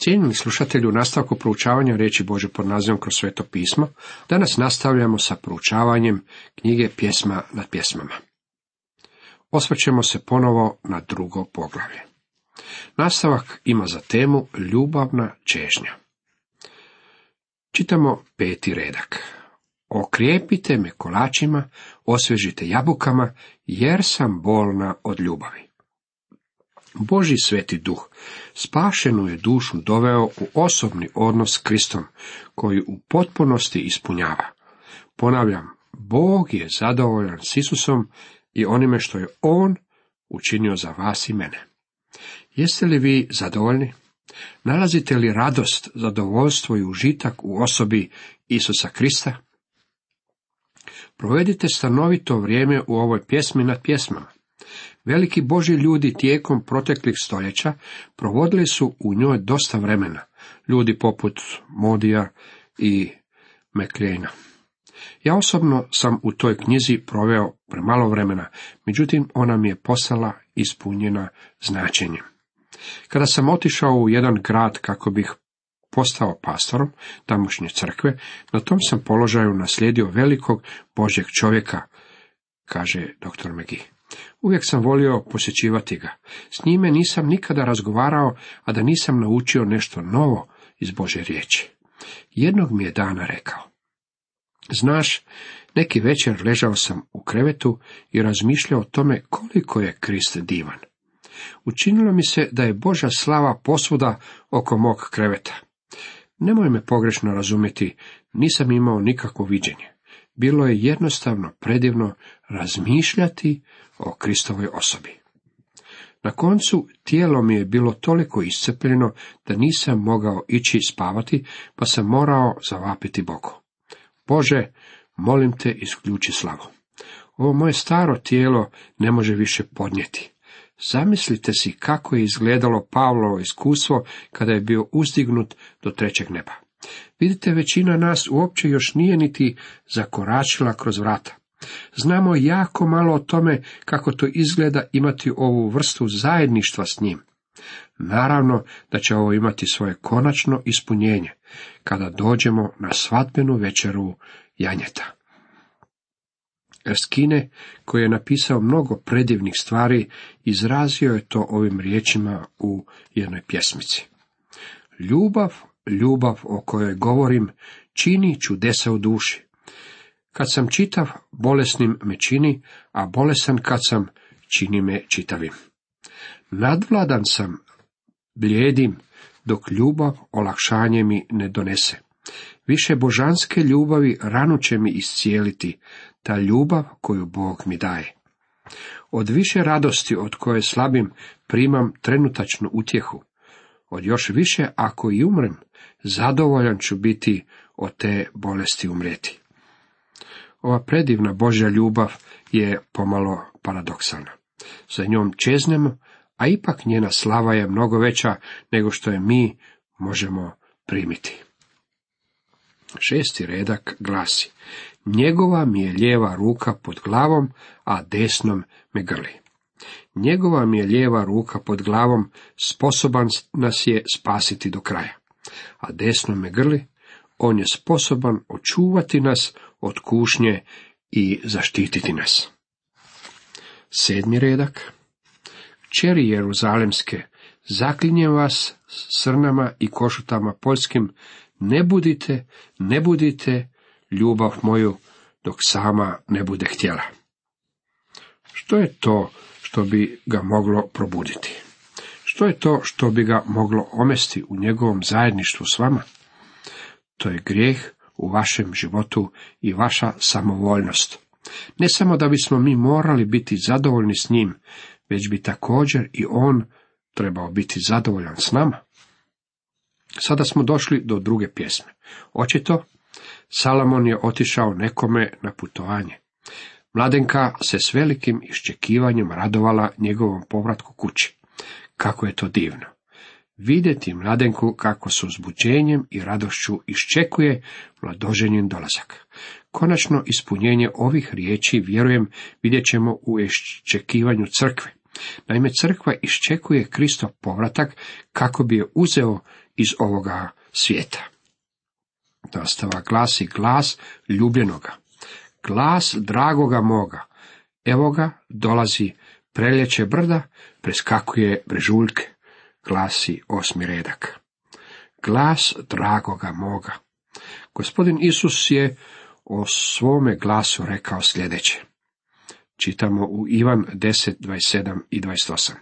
Cijenjeni slušatelju, u nastavku proučavanja riječi Božje pod nazivom Kroz sveto pismo, danas nastavljamo sa proučavanjem knjige Pjesma nad pjesmama. Osvrćemo se ponovo na drugo poglavlje. Nastavak ima za temu ljubavna čežnja. Čitamo 5. redak. Okrijepite me kolačima, osvježite jabukama, jer sam bolna od ljubavi. Božji sveti duh spašenu je dušu doveo u osobni odnos s Kristom, koji u potpunosti ispunjava. Ponavljam, Bog je zadovoljan s Isusom i onime što je On učinio za vas i mene. Jeste li vi zadovoljni? Nalazite li radost, zadovoljstvo i užitak u osobi Isusa Krista? Provedite stanovito vrijeme u ovoj pjesmi nad pjesmama. Veliki Božji ljudi tijekom proteklih stoljeća provodili su u njoj dosta vremena, ljudi poput Modija i Meklejna. Ja osobno sam u toj knjizi proveo premalo vremena, međutim ona mi je postala ispunjena značenjem. Kada sam otišao u jedan grad kako bih postao pastorom tamošnje crkve, na tom sam položaju naslijedio velikog Božjeg čovjeka, kaže dr. McGee. Uvijek sam volio posjećivati ga. S njime nisam nikada razgovarao, a da nisam naučio nešto novo iz Božje riječi. Jednog mi je dana rekao: znaš, neki večer ležao sam u krevetu i razmišljao o tome koliko je Krist divan. Učinilo mi se da je Božja slava posvuda oko mog kreveta. Nemoj me pogrešno razumjeti, nisam imao nikakvo viđenje. Bilo je jednostavno predivno razmišljati o Kristovoj osobi. Na koncu tijelo mi je bilo toliko iscrpljeno da nisam mogao ići spavati, pa sam morao zavapiti Bogu: Bože, molim te, isključi slavu. Ovo moje staro tijelo ne može više podnijeti. Zamislite si kako je izgledalo Pavlovo iskustvo kada je bio uzdignut do 3. neba. Vidite, većina nas uopće još nije niti zakoračila kroz vrata. Znamo jako malo o tome kako to izgleda imati ovu vrstu zajedništva s njim. Naravno da će ovo imati svoje konačno ispunjenje kada dođemo na svadbenu večeru janjeta. Erskine, koji je napisao mnogo predivnih stvari, izrazio je to ovim riječima u jednoj pjesmici. Ljubav o kojoj govorim čini čudesa u duši. Kad sam čitav, bolesnim me čini, a bolesan kad sam, čini me čitavim. Nadvladan sam, bljedim, dok ljubav olakšanje mi ne donese. Više božanske ljubavi ranu će mi iscijeliti, ta ljubav koju Bog mi daje. Od više radosti od koje slabim primam trenutačnu utjehu. Od još više, ako i umrem, zadovoljan ću biti od te bolesti umrijeti. Ova predivna Božja ljubav je pomalo paradoksalna. Za njom čeznemo, a ipak njena slava je mnogo veća nego što je mi možemo primiti. 6. redak glasi: njegova mi je lijeva ruka pod glavom, a desnom me grli. Njegova mi je lijeva ruka pod glavom, sposoban nas je spasiti do kraja, a desno me grli, on je sposoban očuvati nas od kušnje i zaštititi nas. 7. redak. Kćeri Jeruzalemske, zaklinjem vas srnama i košutama poljskim, ne budite ljubav moju dok sama ne bude htjela. Što je to što bi ga moglo probuditi? Što je to što bi ga moglo omesti u njegovom zajedništvu s vama? To je grijeh u vašem životu i vaša samovoljnost. Ne samo da bismo mi morali biti zadovoljni s njim, već bi također i on trebao biti zadovoljan s nama. Sada smo došli do druge pjesme. Očito, Salomon je otišao nekome na putovanje. Mladenka se s velikim iščekivanjem radovala njegovom povratku kući. Kako je to divno! Vidjeti mladenku kako s uzbuđenjem i radošću iščekuje mladoženin dolazak. Konačno ispunjenje ovih riječi, vjerujem, vidjet ćemo u iščekivanju crkve. Naime, crkva iščekuje Kristov povratak kako bi je uzeo iz ovoga svijeta. Nastavak glasi glas ljubljenoga, glas dragoga moga. Evo ga, dolazi, preljeće brda, preskakuje brežuljke, glasi 8. redak. Glas dragoga moga. Gospodin Isus je o svome glasu rekao sljedeće. Čitamo u Ivan 10, 27 i 28.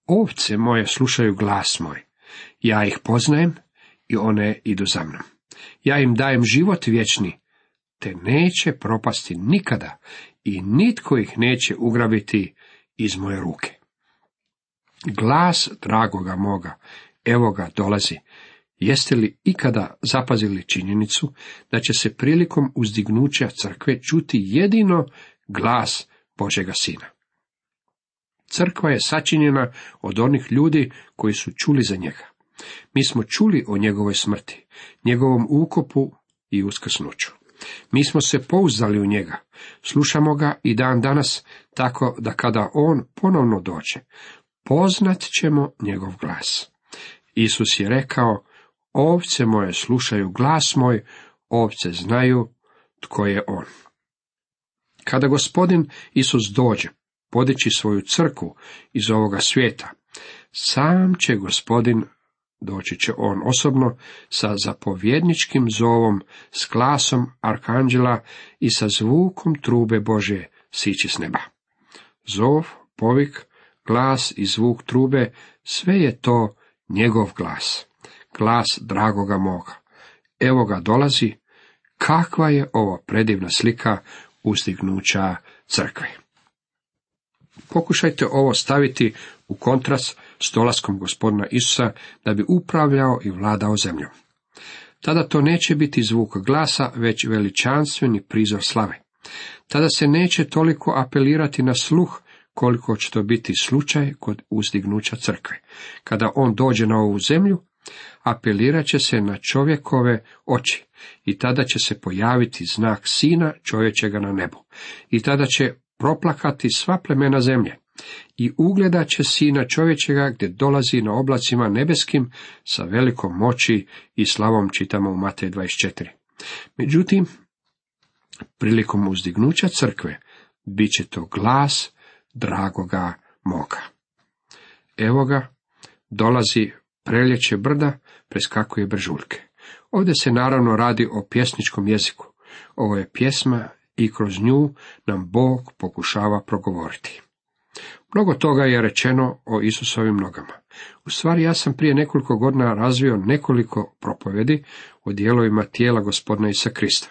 Ovce moje slušaju glas moj, ja ih poznajem i one idu za mnom. Ja im dajem život vječni, te neće propasti nikada i nitko ih neće ugrabiti iz moje ruke. Glas dragoga moga, evo ga dolazi. Jeste li ikada zapazili činjenicu da će se prilikom uzdignuća crkve čuti jedino glas Božega Sina? Crkva je sačinjena od onih ljudi koji su čuli za njega. Mi smo čuli o njegovoj smrti, njegovom ukopu i uskrsnuću. Mi smo se pouzdali u njega, slušamo ga i dan danas, tako da kada on ponovno dođe, poznat ćemo njegov glas. Isus je rekao, ovce moje slušaju glas moj, ovce znaju tko je on. Kada Gospodin Isus dođe podići svoju crkvu iz ovoga svijeta, sam će Gospodin, doći će on osobno sa zapovjedničkim zovom, s glasom arkanđela i sa zvukom trube Božje sići s neba. Zov, povik, glas i zvuk trube, sve je to njegov glas, glas dragoga moga. Evo ga dolazi, kakva je ovo predivna slika uzdignuća crkve. Pokušajte ovo staviti u kontrast s dolaskom Gospodina Isusa da bi upravljao i vladao zemljom. Tada to neće biti zvuk glasa, već veličanstveni prizor slave. Tada se neće toliko apelirati na sluh, koliko će to biti slučaj kod uzdignuća crkve. Kada on dođe na ovu zemlju, apelirat će se na čovjekove oči i tada će se pojaviti znak Sina čovječega na nebu. I tada će proplakati sva plemena zemlje i ugledat će Sina čovječega gdje dolazi na oblacima nebeskim sa velikom moći i slavom, čitamo u Matej 24. Međutim, prilikom uzdignuća crkve bit će to glas dragoga moga. Evo ga, dolazi, preljeće brda, preskakuje brežuljke. Ovdje se naravno radi o pjesničkom jeziku. Ovo je pjesma i kroz nju nam Bog pokušava progovoriti. Mnogo toga je rečeno o Isusovim nogama. U stvari, ja sam prije nekoliko godina razvio nekoliko propovjedi o dijelovima tijela Gospodina Isusa Krista.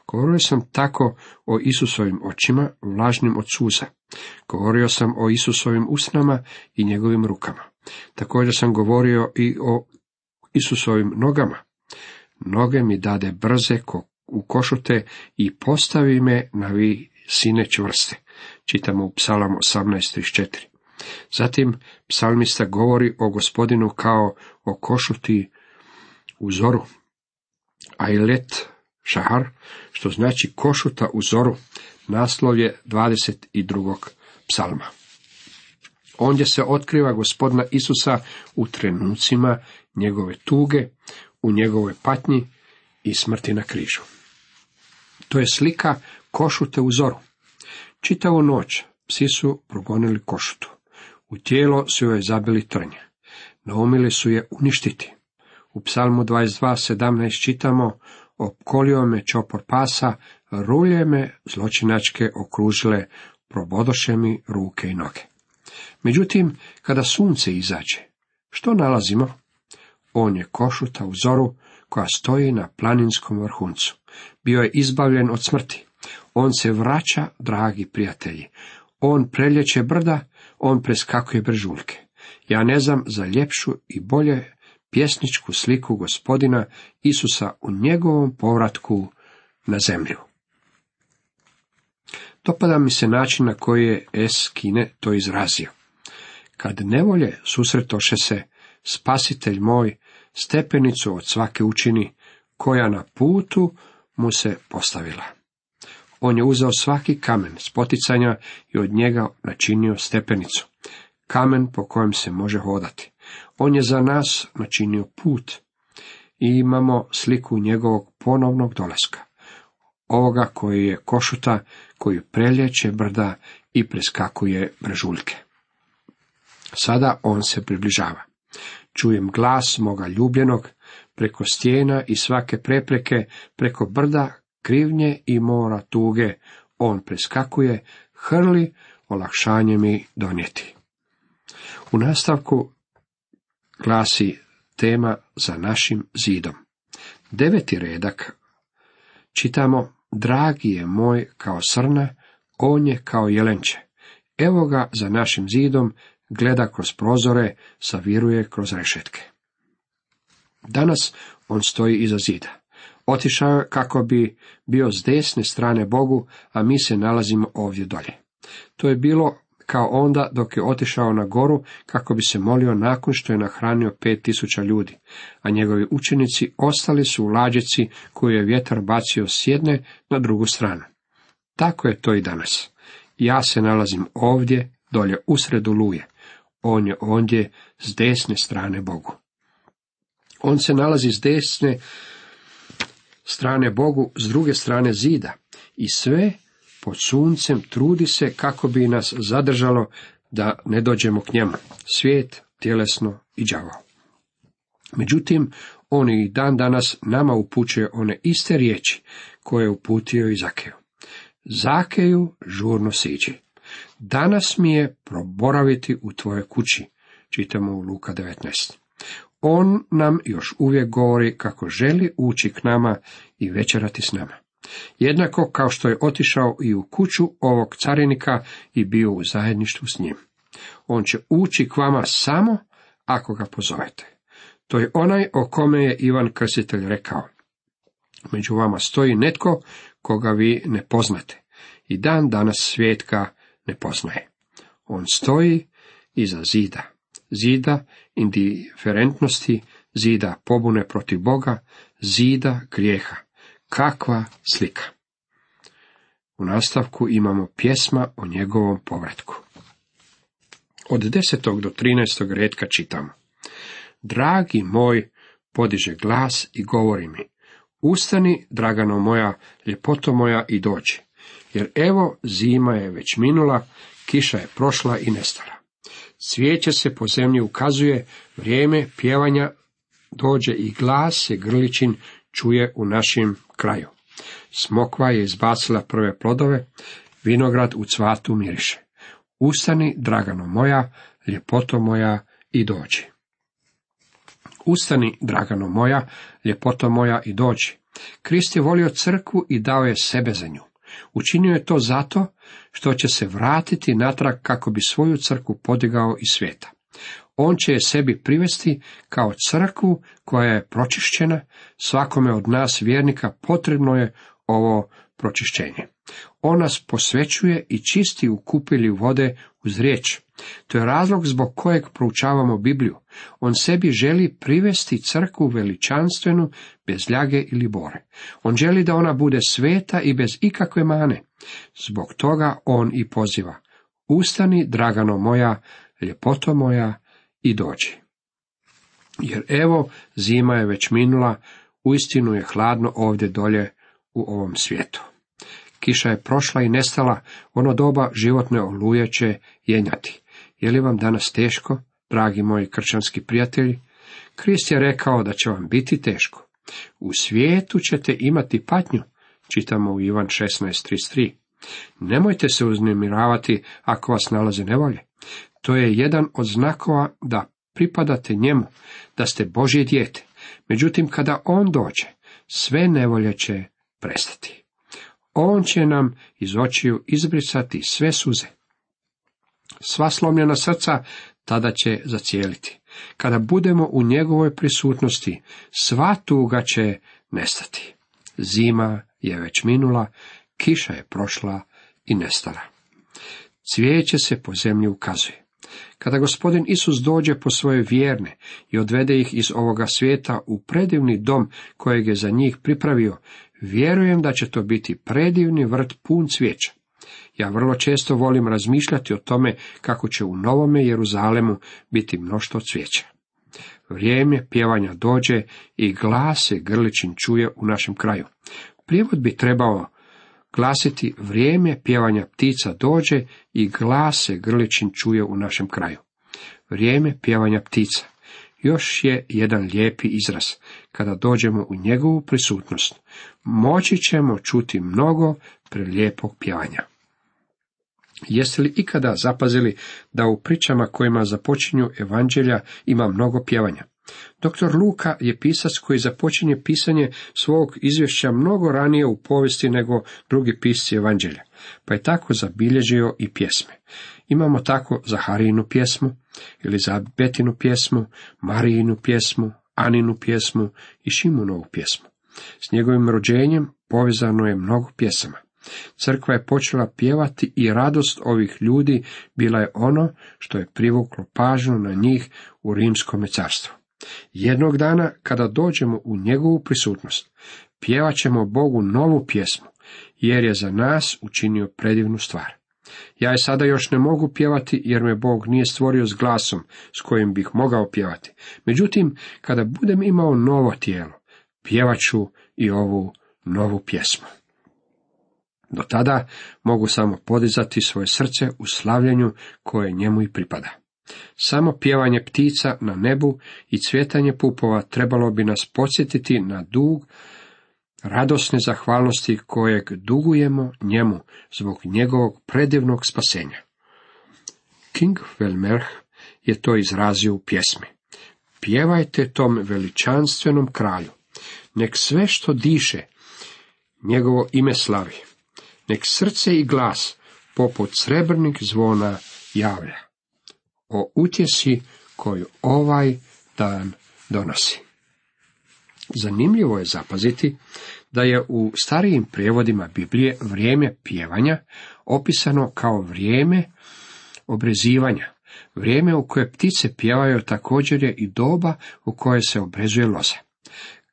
Govorio sam tako o Isusovim očima, vlažnim od suza. Govorio sam o Isusovim usnama i njegovim rukama. Također sam govorio i o Isusovim nogama. Noge mi dade brze u košute i postavi me na visine čvrste. Čitamo u Psalam 18:34. Zatim psalmista govori o Gospodinu kao o košuti u zoru, Ailet Šahar, što znači košuta u zoru. Naslov je 22. psalma. Ondje se otkriva Gospodina Isusa u trenucima njegove tuge, u njegovoj patnji i smrti na križu. To je slika košute u zoru. Čitavu noć psi su progonili košutu. U tijelo su joj zabili trnje. Naumili su je uništiti. U psalmu 22:17 čitamo, opkolio me čopor pasa, rulje me zločinačke okružile, probodoše mi ruke i noge. Međutim, kada sunce izađe, što nalazimo? On je košuta u zoru koja stoji na planinskom vrhuncu. Bio je izbavljen od smrti. On se vraća, dragi prijatelji. On preljeće brda, on preskakuje brežuljke. Ja ne znam za ljepšu i bolje pjesničku sliku Gospodina Isusa u njegovom povratku na zemlju. Dopada mi se način na koji je S. Kine to izrazio. Kad nevolje susretoše se, Spasitelj moj stepenicu od svake učini, koja na putu mu se postavila. On je uzeo svaki kamen spoticanja i od njega načinio stepenicu, kamen po kojem se može hodati. On je za nas načinio put i imamo sliku njegovog ponovnog dolaska. Ovoga koji je košuta, koji preljeće brda i preskakuje brežuljke. Sada on se približava. Čujem glas moga ljubljenog, preko stijena i svake prepreke, preko brda, krivnje i mora tuge, on preskakuje, hrli, olakšanje mi donijeti. U nastavku glasi tema za našim zidom. 9. redak čitamo: dragi je moj kao srna, on je kao jelenče. Evo ga za našim zidom, gleda kroz prozore, saviruje kroz rešetke. Danas on stoji iza zida. Otišao je kako bi bio s desne strane Bogu, a mi se nalazimo ovdje dolje. To je bilo kao onda dok je otišao na goru kako bi se molio nakon što je nahranio 5000 ljudi, a njegovi učenici ostali su u lađici koju je vjetar bacio s jedne na drugu stranu. Tako je to i danas. Ja se nalazim ovdje, dolje usred oluje. On je ondje s desne strane Bogu. On se nalazi s desne strane Bogu, s druge strane zida, i sve pod suncem trudi se kako bi nas zadržalo da ne dođemo k njemu, svijet, tjelesno i đavao. Međutim, on i dan danas nama upućuje one iste riječi koje je uputio i Zakeju. Zakeju, žurno siđi. Danas mi je proboraviti u tvojoj kući, čitamo u Luka 19. On nam još uvijek govori kako želi ući k nama i večerati s nama. Jednako kao što je otišao i u kuću ovog carinika i bio u zajedništvu s njim. On će ući k vama samo ako ga pozovete. To je onaj o kome je Ivan Krstitelj rekao: među vama stoji netko koga vi ne poznate, i dan danas svijet ga ne poznaje. On stoji iza zida, zida indiferentnosti, zida pobune protiv Boga, zida grijeha. Kakva slika! U nastavku imamo pjesma o njegovom povratku. Od 10. do 13. retka čitamo: dragi moj, podiže glas i govori mi: ustani, dragano moja, ljepoto moja, i dođi. Jer evo, zima je već minula, kiša je prošla i nestala. Cvijeće se po zemlji ukazuje, vrijeme pjevanja dođe i glas se grličin čuje u našem kraju. Smokva je izbacila prve plodove, vinograd u cvatu miriše. Ustani, dragano moja, ljepoto moja, i dođi. Ustani, dragano moja, ljepoto moja, i dođi. Krist je volio crkvu i dao je sebe za nju. Učinio je to zato što će se vratiti natrag kako bi svoju crkvu podigao iz svijeta. On će je sebi privesti kao crkvu koja je pročišćena. Svakome od nas vjernika potrebno je ovo pročišćenje. On nas posvećuje i čisti u kupelju vode uz riječ. To je razlog zbog kojeg proučavamo Bibliju. On sebi želi privesti crkvu veličanstvenu, bez ljage ili bore. On želi da ona bude sveta i bez ikakve mane. Zbog toga on i poziva: ustani, dragano moja, ljepoto moja, i dođi. Jer evo, zima je već minula, uistinu je hladno ovdje dolje u ovom svijetu. Kiša je prošla i nestala, ono doba životne oluje će jenjati. Je li vam danas teško, dragi moji kršćanski prijatelji? Krist je rekao da će vam biti teško. U svijetu ćete imati patnju, čitamo u Ivan 16:33. Nemojte se uznemiravati ako vas nalaze nevolje. To je jedan od znakova da pripadate njemu, da ste Božje dijete. Međutim, kada on dođe, sve nevolje će prestati. On će nam iz očiju izbrisati sve suze. Sva slomljena srca tada će zacijeliti. Kada budemo u njegovoj prisutnosti, sva tuga će nestati. Zima je već minula, kiša je prošla i nestala. Cvijeće se po zemlji ukazuje. Kada Gospodin Isus dođe po svoje vjerne i odvede ih iz ovoga svijeta u predivni dom kojeg je za njih pripravio, vjerujem da će to biti predivni vrt pun cvijeća. Ja vrlo često volim razmišljati o tome kako će u Novome Jeruzalemu biti mnoštvo cvijeća. vrijeme pjevanja dođe i glas se grličin čuje u našem kraju. Prijevod bi trebao glasiti: vrijeme pjevanja ptica dođe i glas se grličin čuje u našem kraju. Vrijeme pjevanja ptica još je jedan lijepi izraz. Kada dođemo u njegovu prisutnost, moći ćemo čuti mnogo prelijepog pjevanja. Jeste li ikada zapazili da u pričama kojima započinju evanđelja ima mnogo pjevanja? Dr. Luka je pisac koji započinje pisanje svog izvješća mnogo ranije u povijesti nego drugi pisci evanđelja, pa je tako zabilježio i pjesme. Imamo tako Zaharijinu pjesmu, Elizabetinu pjesmu, Marijinu pjesmu, Aninu pjesmu i Šimunovu pjesmu. S njegovim rođenjem povezano je mnogo pjesama. Crkva je počela pjevati i radost ovih ljudi bila je ono što je privuklo pažnju na njih u Rimskome carstvu. Jednog dana, kada dođemo u njegovu prisutnost, pjevat ćemo Bogu novu pjesmu, jer je za nas učinio predivnu stvar. Ja je sada još ne mogu pjevati, jer me Bog nije stvorio s glasom s kojim bih mogao pjevati. Međutim, kada budem imao novo tijelo, pjevat ću i ovu novu pjesmu. Do tada mogu samo podizati svoje srce u slavljenju koje njemu i pripada. Samo pjevanje ptica na nebu i cvjetanje pupova trebalo bi nas podsjetiti na dug radosne zahvalnosti kojeg dugujemo njemu zbog njegovog predivnog spasenja. King Velmerh je to izrazio u pjesmi. Pjevajte tom veličanstvenom kralju, nek sve što diše njegovo ime slavi, nek srce i glas poput srebrnih zvona javlja o utjesi koju ovaj dan donosi. Zanimljivo je zapaziti da je u starijim prijevodima Biblije vrijeme pjevanja opisano kao vrijeme obrezivanja. Vrijeme u koje ptice pjevaju također je i doba u koje se obrezuje loza.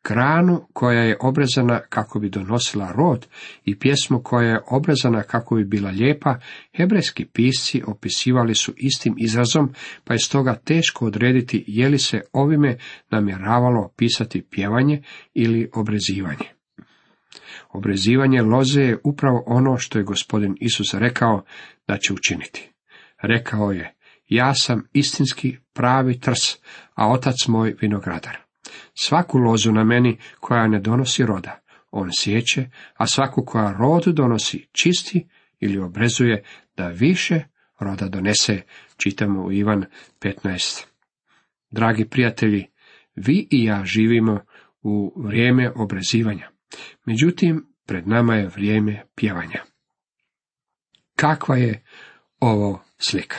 Granu koja je obrezana kako bi donosila rod i pjesmu koja je obrezana kako bi bila lijepa, hebrejski pisci opisivali su istim izrazom, pa je stoga teško odrediti je li se ovime namjeravalo opisati pjevanje ili obrezivanje. Obrezivanje loze je upravo ono što je Gospodin Isus rekao da će učiniti. Rekao je: ja sam istinski pravi trs, a otac moj vinogradar. Svaku lozu na meni koja ne donosi roda, on siječe, a svaku koja rod donosi čisti ili obrezuje da više roda donese, čitamo u Ivan 15. Dragi prijatelji, vi i ja živimo u vrijeme obrezivanja. Međutim, pred nama je vrijeme pjevanja. Kakva je ovo slika?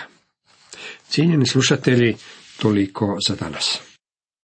Cijenjeni slušatelji, toliko za danas.